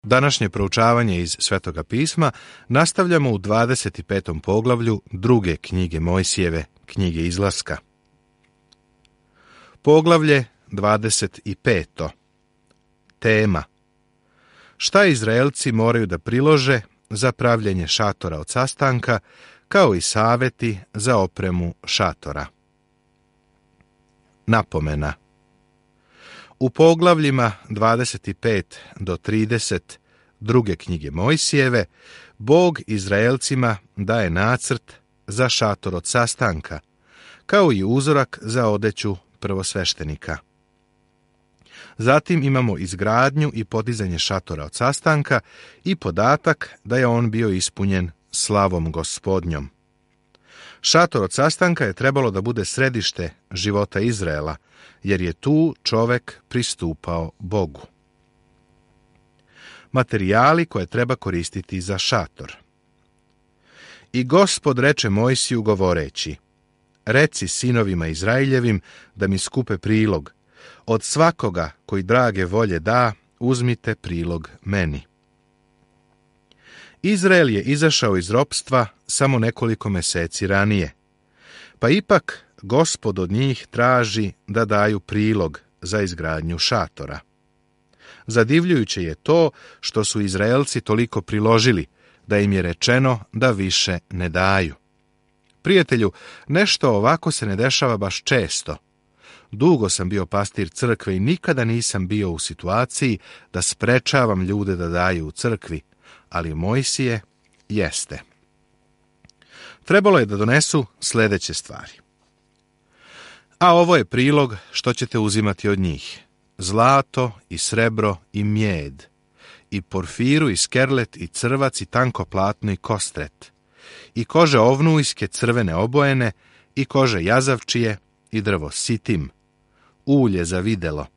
Današnje proučavanje iz Svetoga pisma nastavljamo u 25. poglavlju druge knjige Mojsijeve, knjige Izlaska. Poglavlje 25. Tema: šta Izraelci moraju da prilože za pravljenje šatora od sastanka, kao i saveti za opremu šatora. Napomena: u poglavljima 25 do 30 druge knjige Mojsijeve, Bog Izraelcima daje nacrt za šator od sastanka, kao i uzorak za odeću prvosveštenika. Zatim imamo izgradnju i podizanje šatora od sastanka i podatak da je on bio ispunjen slavom Gospodnjom. Šator od sastanka je trebalo da bude središte života Izraela, jer je tu čovek pristupao Bogu. Materijali koje treba koristiti za šator. I Gospod reče Mojsiju govoreći: reci sinovima Izraeljevim da mi skupe prilog. Od svakoga koji drage volje da, uzmite prilog meni. Izrael je izašao iz ropstva samo nekoliko meseci ranije, pa ipak Gospod od njih traži da daju prilog za izgradnju šatora. Zadivljujuće je to što su Izraelci toliko priložili da im je rečeno da više ne daju. Prijatelju, nešto ovako se ne dešava baš često. Dugo sam bio pastir crkve i nikada nisam bio u situaciji da sprečavam ljude da daju u crkvi, ali Mojsije jeste. Trebalo je da donesu sljedeće stvari. A ovo je prilog što ćete uzimati od njih: zlato i srebro i mjed, i porfiru i skerlet i crvac i tanko platno i kostret, i kože ovnujske crvene obojene, i kože jazavčije i drvo sitim, ulje za videlo,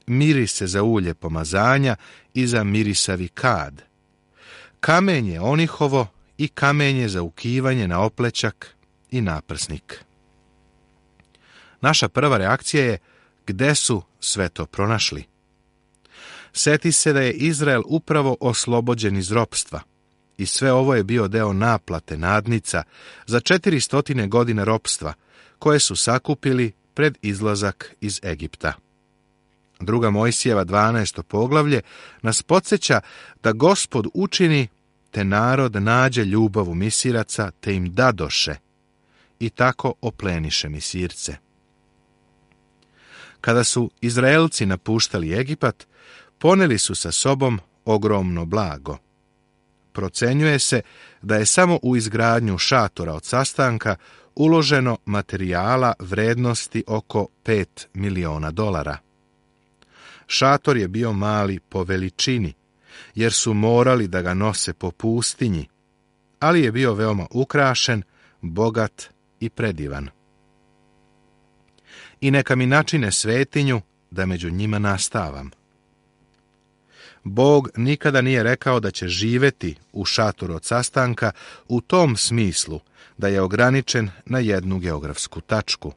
mirise za ulje pomazanja i za mirisavi kad, kamenje onihovo i kamenje za ukivanje na oplećak i naprsnik. Naša prva reakcija je: gde su sve to pronašli? Seti se da je Izrael upravo oslobođen iz ropstva i sve ovo je bio deo naplate nadnica za 400 godina ropstva koje su sakupili pred izlazak iz Egipta. Druga Mojsijeva 12. poglavlje nas podsjeća da Gospod učini te narod nađe ljubav u Misiraca te im dadoše i tako opleniše Misirce. Kada su Izraelci napuštali Egipat, poneli su sa sobom ogromno blago. Procenjuje se da je samo u izgradnju šatora od sastanka uloženo materijala vrednosti oko $5 miliona. Šator je bio mali po veličini, jer su morali da ga nose po pustinji, ali je bio veoma ukrašen, bogat i predivan. I neka mi načine svetinju da među njima nastavam. Bog nikada nije rekao da će živeti u šatoru od sastanka u tom smislu da je ograničen na jednu geografsku tačku.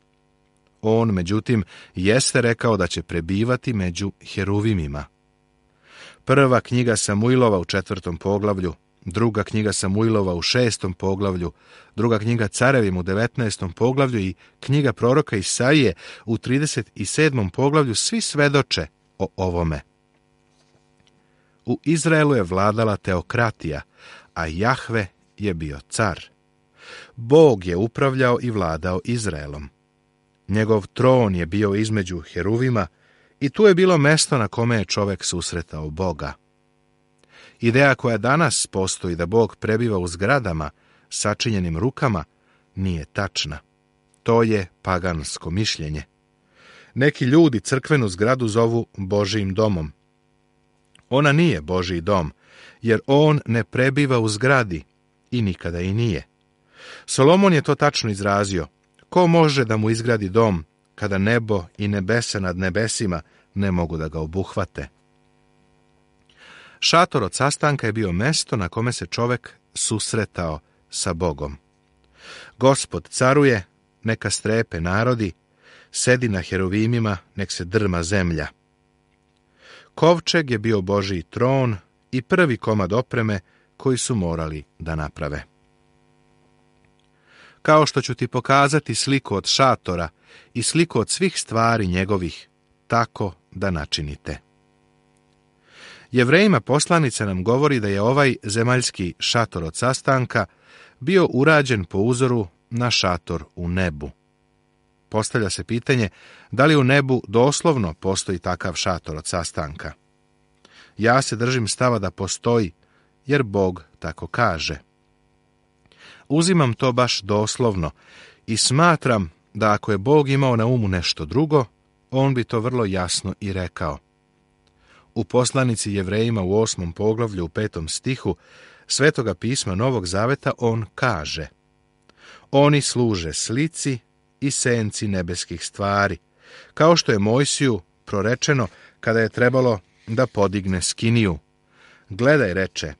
On, međutim, jeste rekao da će prebivati među heruvimima. Prva knjiga Samuilova u 4. poglavlju, druga knjiga Samuilova u 6. poglavlju, druga knjiga Carevima u 19. poglavlju i knjiga proroka Isaije u 37. poglavlju svi svedoče o ovome. U Izraelu je vladala teokratija, a Jahve je bio car. Bog je upravljao i vladao Izraelom. Njegov tron je bio između heruvima i tu je bilo mesto na kome je čovek susretao Boga. Ideja koja danas postoji da Bog prebiva u zgradama sačinjenim rukama nije tačna. To je pagansko mišljenje. Neki ljudi crkvenu zgradu zovu Božijim domom. Ona nije Božji dom, jer on ne prebiva u zgradi i nikada i nije. Solomon je to tačno izrazio: ko može da mu izgradi dom kada nebo i nebesa nad nebesima ne mogu da ga obuhvate? Šator od sastanka je bio mesto na kome se čovek susretao sa Bogom. Gospod caruje, neka strepe narodi, sedi na heruvimima, nek se drma zemlja. Kovčeg je bio Božji tron i prvi komad opreme koji su morali da naprave. Kao što ću ti pokazati sliku od šatora i sliku od svih stvari njegovih, tako da načinite. Jevrejima poslanica nam govori da je ovaj zemaljski šator od sastanka bio urađen po uzoru na šator u nebu. Postavlja se pitanje da li u nebu doslovno postoji takav šator od sastanka. Ja se držim stava da postoji, jer Bog tako kaže. Uzimam to baš doslovno i smatram da ako je Bog imao na umu nešto drugo, on bi to vrlo jasno i rekao. U poslanici Jevrejima u 8. poglavlju u 5. stihu Svetoga pisma Novog Zaveta on kaže: Oni služe slici i senci nebeskih stvari, kao što je Mojsiju prorečeno kada je trebalo da podigne skiniju. Gledaj, reče,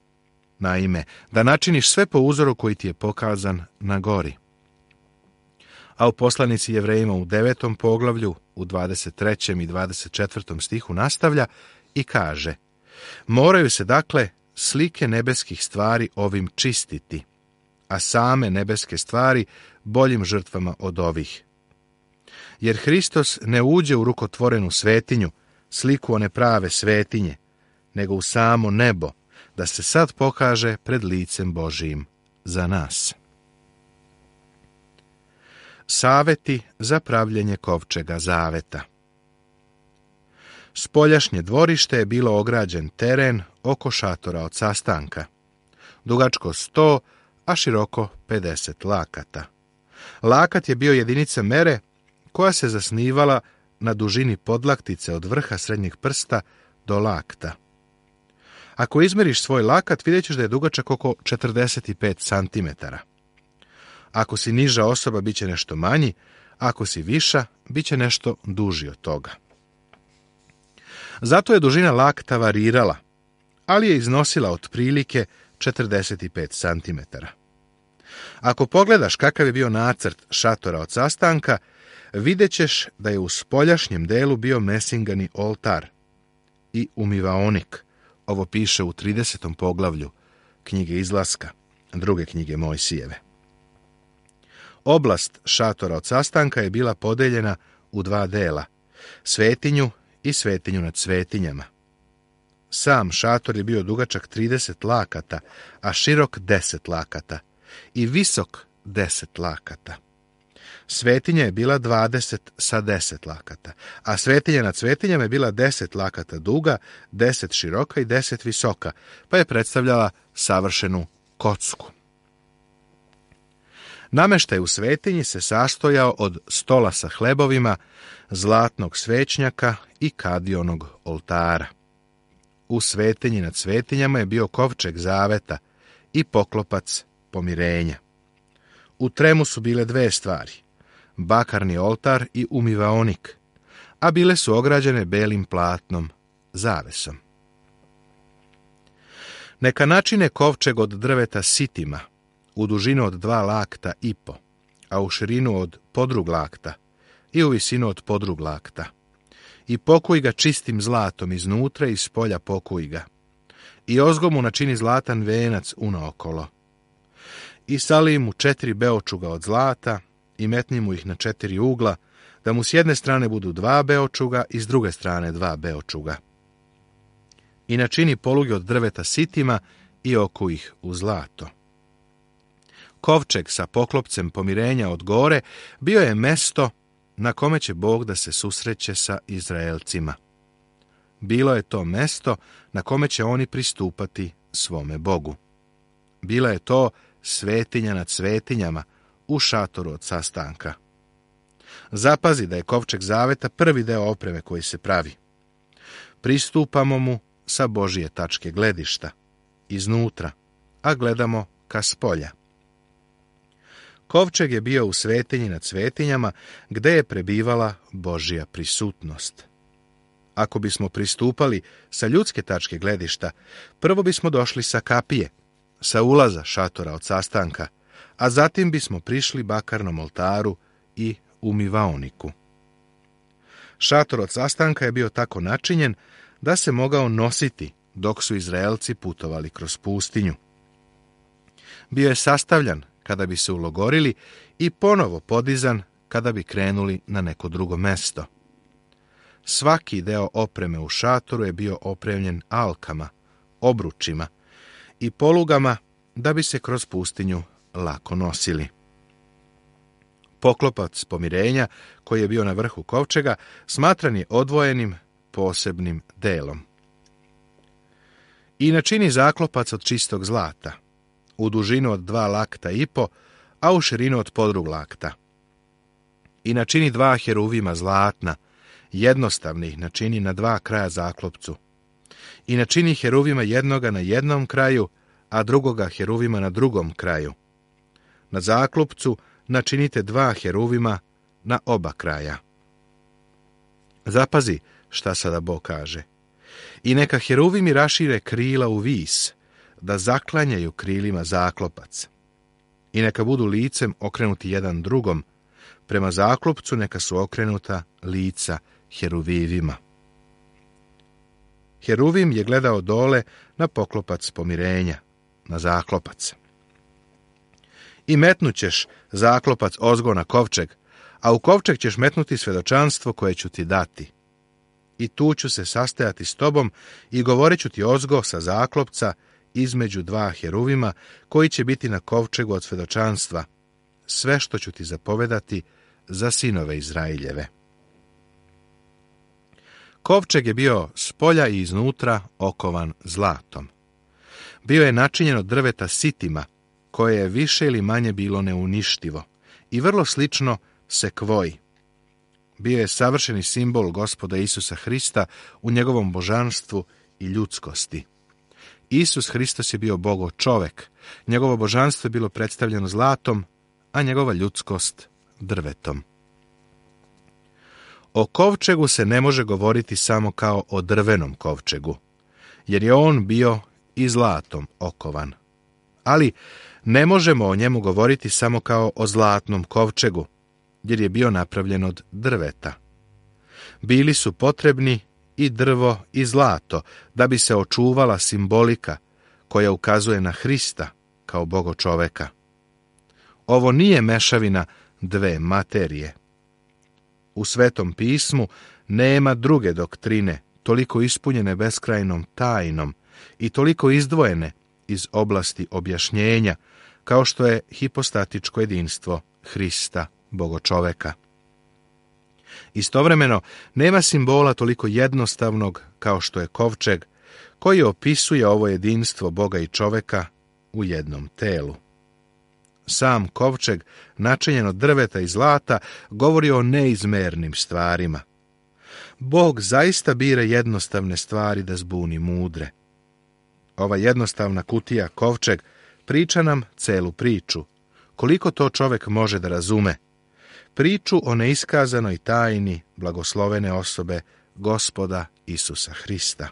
naime, da načiniš sve po uzoru koji ti je pokazan na gori. A u poslanici Jevrejima u 9. poglavlju, u 23. i 24. stihu nastavlja i kaže: Moraju se dakle slike nebeskih stvari ovim čistiti, a same nebeske stvari boljim žrtvama od ovih. Jer Hristos ne uđe u rukotvorenu svetinju, sliku one prave svetinje, nego u samo nebo, da se sad pokaže pred licem Božijim za nas. Saveti za pravljenje kovčega zaveta. Spoljašnje dvorište je bilo ograđen teren oko šatora od sastanka, dugačko 100, a široko 50 lakata. Lakat je bio jedinica mere koja se zasnivala na dužini podlaktice od vrha srednjeg prsta do lakta. Ako izmeriš svoj lakat, vidjet ćeš da je dugačak oko 45 cm. Ako si niža osoba, bit će nešto manji, ako si viša, bit će nešto duži od toga. Zato je dužina lakta varirala, ali je iznosila otprilike 45 cm. Ako pogledaš kakav je bio nacrt šatora od sastanka, vidjet ćeš da je u spoljašnjem delu bio mesingani oltar i umivaonik. Ovo piše u 30. poglavlju knjige Izlaska, druge knjige Mojsijeve. Oblast šatora od sastanka je bila podeljena u dva dela, svetinju i svetinju nad svetinjama. Sam šator je bio dugačak 30 lakata, a širok 10 lakata i visok 10 lakata. Svetinja je bila 20 sa 10 lakata, a svetinja nad svetinjama je bila 10 lakata duga, 10 široka i 10 visoka, pa je predstavljala savršenu kocku. Nameštaj u svetinji se sastojao od stola sa hlebovima, zlatnog svećnjaka i kadionog oltara. U svetinji nad svetinjama je bio kovčeg zaveta i poklopac pomirenja. U tremu su bile dve stvari, bakarni oltar i umivaonik, a bile su ograđene belim platnom, zavesom. Neka načine kovčeg od drveta sitima, u dužinu od 2 lakta i po, a u širinu od podrug lakta i u visinu od podrug lakta. I pokuj ga čistim zlatom iznutra i spolja pokuj ga. I ozgo mu načini zlatan venac unaokolo. I sali mu 4 beočuga od zlata i metni mu ih na 4 ugla, da mu s jedne strane budu 2 beočuga i s druge strane 2 beočuga. I načini poluge od drveta sitima i okuj ih u zlato. Kovčeg sa poklopcem pomirenja od gore bio je mesto na kome će Bog da se susreće sa Izraelcima. Bilo je to mesto na kome će oni pristupati svome Bogu. Bila je to svetinja nad svetinjama u šatoru od sastanka. Zapazi da je kovčeg zaveta prvi deo opreme koji se pravi. Pristupamo mu sa Božije tačke gledišta, iznutra, a gledamo ka spolja. Kovčeg je bio u svetinji nad svetinjama, gde je prebivala Božja prisutnost. Ako bismo pristupali sa ljudske tačke gledišta, prvo bismo došli sa kapije, sa ulaza šatora od sastanka, a zatim bismo prišli bakarnom oltaru i umivaoniku. Šator od sastanka je bio tako načinjen da se mogao nositi dok su Izraelci putovali kroz pustinju. Bio je sastavljan kada bi se ulogorili i ponovo podizan kada bi krenuli na neko drugo mesto. Svaki deo opreme u šatoru je bio opremljen alkama, obručima i polugama da bi se kroz pustinju lako nosili. Poklopac pomirenja, koji je bio na vrhu kovčega, smatran je odvojenim posebnim delom. I načini zaklopac od čistog zlata, u dužinu od 2 lakta i po, a u širinu od podrug lakta. I načini 2 heruvima zlatna, jednostavnih načini na 2 kraja zaklopcu. I načini heruvima jednoga na jednom kraju, a drugoga heruvima na drugom kraju. Na zaklopcu načinite 2 heruvima na oba kraja. Zapazi šta sada Bog kaže. I neka heruvimi rašire krila u vis, da zaklanjaju krilima zaklopac. I neka budu licem okrenuti jedan drugom, prema zaklopcu neka su okrenuta lica heruvivima. Heruvim je gledao dole na poklopac pomirenja, na zaklopac. I metnućeš zaklopac ozgo na kovčeg, a u kovčeg ćeš metnuti svedočanstvo koje ću ti dati. I tu ću se sastajati s tobom i govorit ću ti ozgo sa zaklopca između 2 heruvima koji će biti na kovčegu od svedočanstva, sve što ću ti zapovedati za sinove Izraeljeve. Kovčeg je bio spolja i iznutra okovan zlatom. Bio je načinjen od drveta sitima, koje je više ili manje bilo neuništivo i vrlo slično sekvoji. Bio je savršeni simbol Gospoda Isusa Hrista u njegovom božanstvu i ljudskosti. Isus Hristos je bio Bogo čovek, njegovo božanstvo je bilo predstavljeno zlatom, a njegova ljudskost drvetom. O kovčegu se ne može govoriti samo kao o drvenom kovčegu, jer je on bio i zlatom okovan. Ali ne možemo o njemu govoriti samo kao o zlatnom kovčegu, jer je bio napravljen od drveta. Bili su potrebni i drvo i zlato, da bi se očuvala simbolika koja ukazuje na Hrista kao Bogo čoveka. Ovo nije mešavina 2 materije. U Svetom pismu nema druge doktrine, toliko ispunjene beskrajnom tajnom i toliko izdvojene iz oblasti objašnjenja, kao što je hipostatičko jedinstvo Hrista, Bogo čoveka. Istovremeno, nema simbola toliko jednostavnog kao što je kovčeg, koji opisuje ovo jedinstvo Boga i čoveka u jednom telu. Sam kovčeg, načinjen od drveta i zlata, govori o neizmernim stvarima. Bog zaista bira jednostavne stvari da zbuni mudre. Ova jednostavna kutija, kovčeg, priča nam celu priču. Koliko to čovek može da razume? Priču o neiskazanoj tajni blagoslovene osobe Gospoda Isusa Hrista.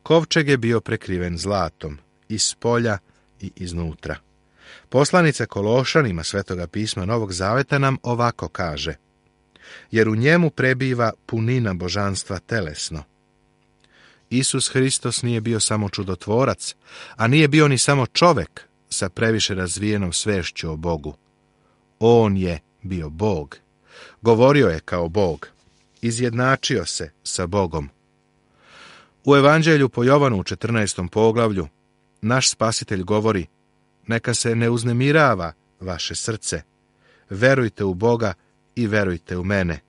Kovčeg je bio prekriven zlatom, iz spolja i iznutra. Poslanica Kološanima Svetoga pisma Novog Zaveta nam ovako kaže: jer u njemu prebiva punina božanstva telesno. Isus Hristos nije bio samo čudotvorac, a nije bio ni samo čovek sa previše razvijenom svešću o Bogu. On je bio Bog. Govorio je kao Bog. Izjednačio se sa Bogom. U Evanđelju po Jovanu u 14. poglavlju naš Spasitelj govori: neka se ne uznemirava vaše srce. Verujte u Boga i verujte u mene.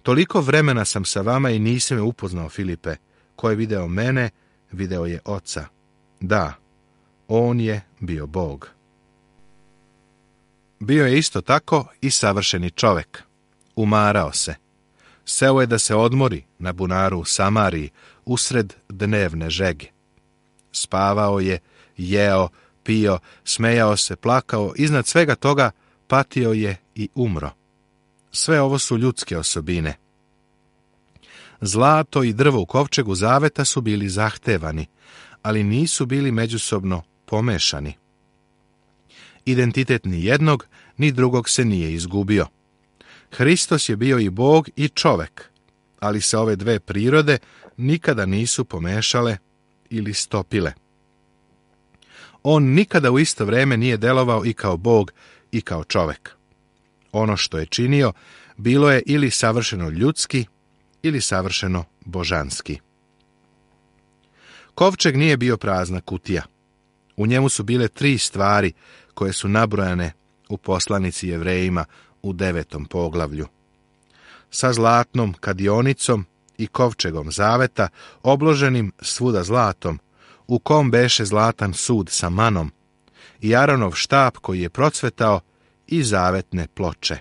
Toliko vremena sam sa vama i nisam me upoznao, Filipe. Ko je video mene, video je Oca. Da, on je bio Bog. Bio je isto tako i savršeni čovek. Umarao se. Seo je da se odmori na bunaru u Samariji usred dnevne žege. Spavao je, jeo, pio, smejao se, plakao, iznad svega toga patio je i umro. Sve ovo su ljudske osobine. Zlato i drvo u kovčegu zaveta su bili zahtevani, ali nisu bili međusobno pomešani. Identitet ni jednog, ni drugog se nije izgubio. Hristos je bio i Bog i čovek, ali se ove dve prirode nikada nisu pomešale ili stopile. On nikada u isto vrijeme nije delovao i kao Bog i kao čovek. Ono što je činio bilo je ili savršeno ljudski ili savršeno božanski. Kovčeg nije bio prazna kutija. U njemu su bile 3 stvari koje su nabrojane u poslanici Jevrejima u 9. poglavlju. Sa zlatnom kadionicom i kovčegom zaveta, obloženim svuda zlatom, u kom beše zlatan sud sa manom, i Aronov štap koji je procvetao i zavetne ploče.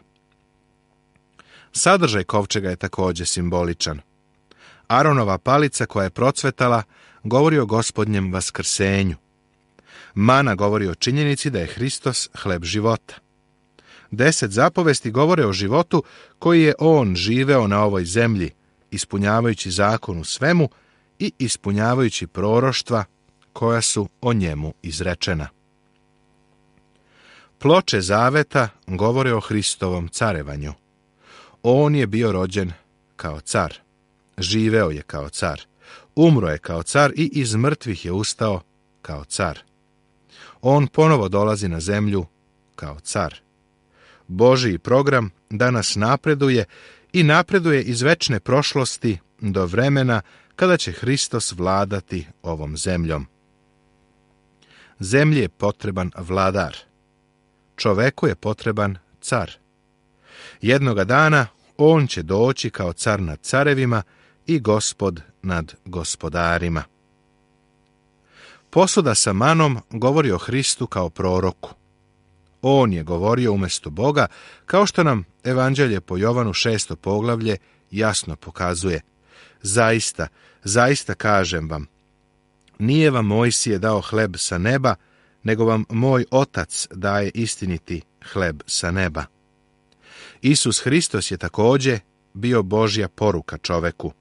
Sadržaj kovčega je također simboličan. Aronova palica koja je procvetala govori o Gospodnjem vaskrsenju. Mana govori o činjenici da je Hristos hleb života. 10 zapovesti govore o životu koji je on živeo na ovoj zemlji, ispunjavajući zakon u svemu i ispunjavajući proroštva koja su o njemu izrečena. Ploče zaveta govore o Hristovom carevanju. On je bio rođen kao car, živeo je kao car, umro je kao car i iz mrtvih je ustao kao car. On ponovo dolazi na zemlju kao car. Božji program danas napreduje i napreduje iz večne prošlosti do vremena kada će Hristos vladati ovom zemljom. Zemlji je potreban vladar. Čoveku je potreban car. Jednoga dana on će doći kao car nad carevima i gospod nad gospodarima. Posuda sa manom govori o Hristu kao proroku. On je govorio umjesto Boga, kao što nam Evanđelje po Jovanu 6. poglavlje jasno pokazuje. Zaista, zaista kažem vam, nije vam Mojsije dao hleb sa neba, nego vam moj Otac daje istiniti hleb sa neba. Isus Hristos je također bio Božja poruka čoveku.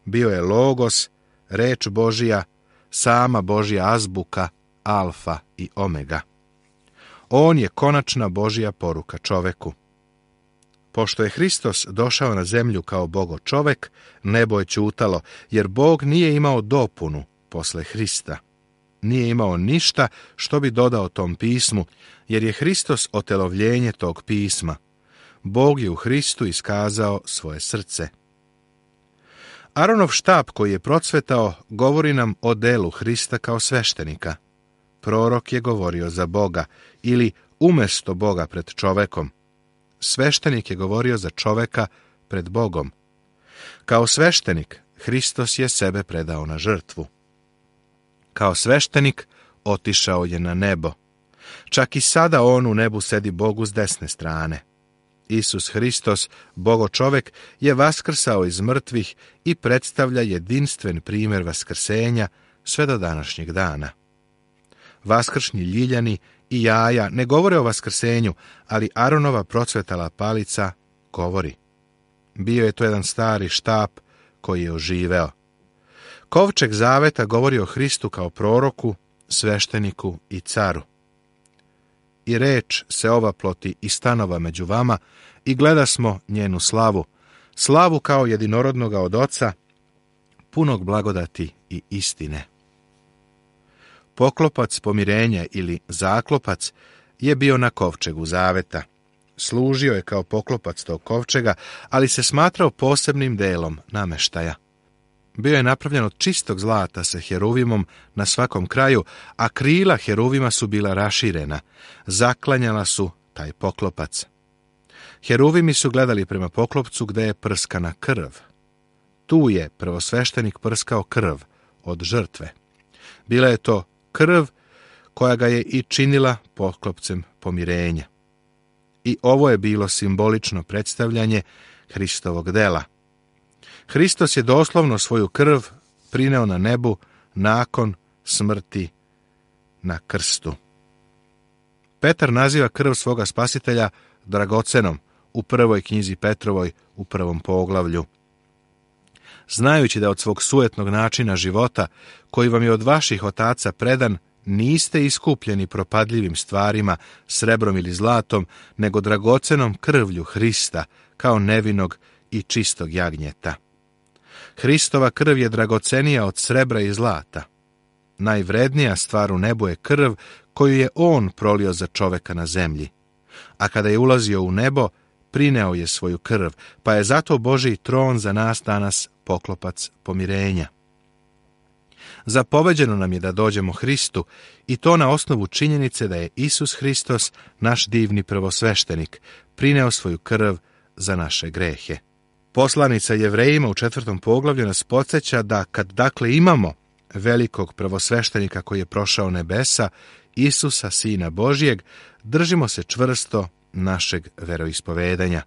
Bio je Logos, reč Božja, sama Božja azbuka, alfa i omega. On je konačna Božja poruka čoveku. Pošto je Hristos došao na zemlju kao Bogo čovek, nebo je ćutalo, jer Bog nije imao dopunu posle Hrista. Nije imao ništa što bi dodao tom pismu, jer je Hristos otelovljenje tog pisma. Bog je u Hristu iskazao svoje srce. Aronov štap koji je procvetao govori nam o delu Hrista kao sveštenika. Prorok je govorio za Boga ili umjesto Boga pred čovekom. Sveštenik je govorio za čoveka pred Bogom. Kao sveštenik Hristos je sebe predao na žrtvu. Kao sveštenik otišao je na nebo. Čak i sada on u nebu sedi Bogu s desne strane. Isus Hristos, Bogo čovek, je vaskrsao iz mrtvih i predstavlja jedinstven primjer vaskrsenja sve do današnjeg dana. Vaskršnji ljiljani i jaja ne govore o vaskrsenju, ali Aronova procvetala palica govori. Bio je to jedan stari štap koji je oživeo. Kovčeg zaveta govori o Hristu kao proroku, svešteniku i caru. I reč se ovaploti i stanova među vama i gleda smo njenu slavu, slavu kao jedinorodnoga od Oca, punog blagodati i istine. Poklopac pomirenja ili zaklopac je bio na kovčegu zaveta. Služio je kao poklopac tog kovčega, ali se smatrao posebnim delom nameštaja. Bio je napravljen od čistog zlata sa heruvimom na svakom kraju, a krila heruvima su bila raširena. Zaklanjala su taj poklopac. Heruvimi su gledali prema poklopcu gde je prskana krv. Tu je prvosveštenik prskao krv od žrtve. Bila je to krv koja ga je i činila poklopcem pomirenja. I ovo je bilo simbolično predstavljanje Hristovog dela. Hristos je doslovno svoju krv prineo na nebu nakon smrti na krstu. Petar naziva krv svoga spasitelja dragocenom u prvoj knjizi Petrovoj u 1. poglavlju. Znajući da od svog sujetnog načina života, koji vam je od vaših otaca predan, niste iskupljeni propadljivim stvarima, srebrom ili zlatom, nego dragocenom krvlju Hrista, kao nevinog i čistog jagnjeta. Hristova krv je dragocenija od srebra i zlata. Najvrednija stvar u nebu je krv koju je on prolio za čoveka na zemlji. A kada je ulazio u nebo, prineo je svoju krv, pa je zato Božji tron za nas danas poklopac pomirenja. Zapoveđeno nam je da dođemo Hristu, i to na osnovu činjenice da je Isus Hristos, naš divni prvosveštenik, prineo svoju krv za naše grehe. Poslanica Jevrejima u 4. poglavlju nas podsjeća da kad dakle imamo velikog prvosveštenika koji je prošao nebesa, Isusa, Sina Božjeg, držimo se čvrsto našeg veroispovedanja.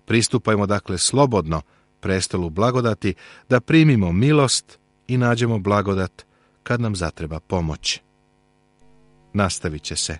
Pristupajmo dakle slobodno prestolu blagodati da primimo milost i nađemo blagodat kad nam zatreba pomoć. Nastavit će se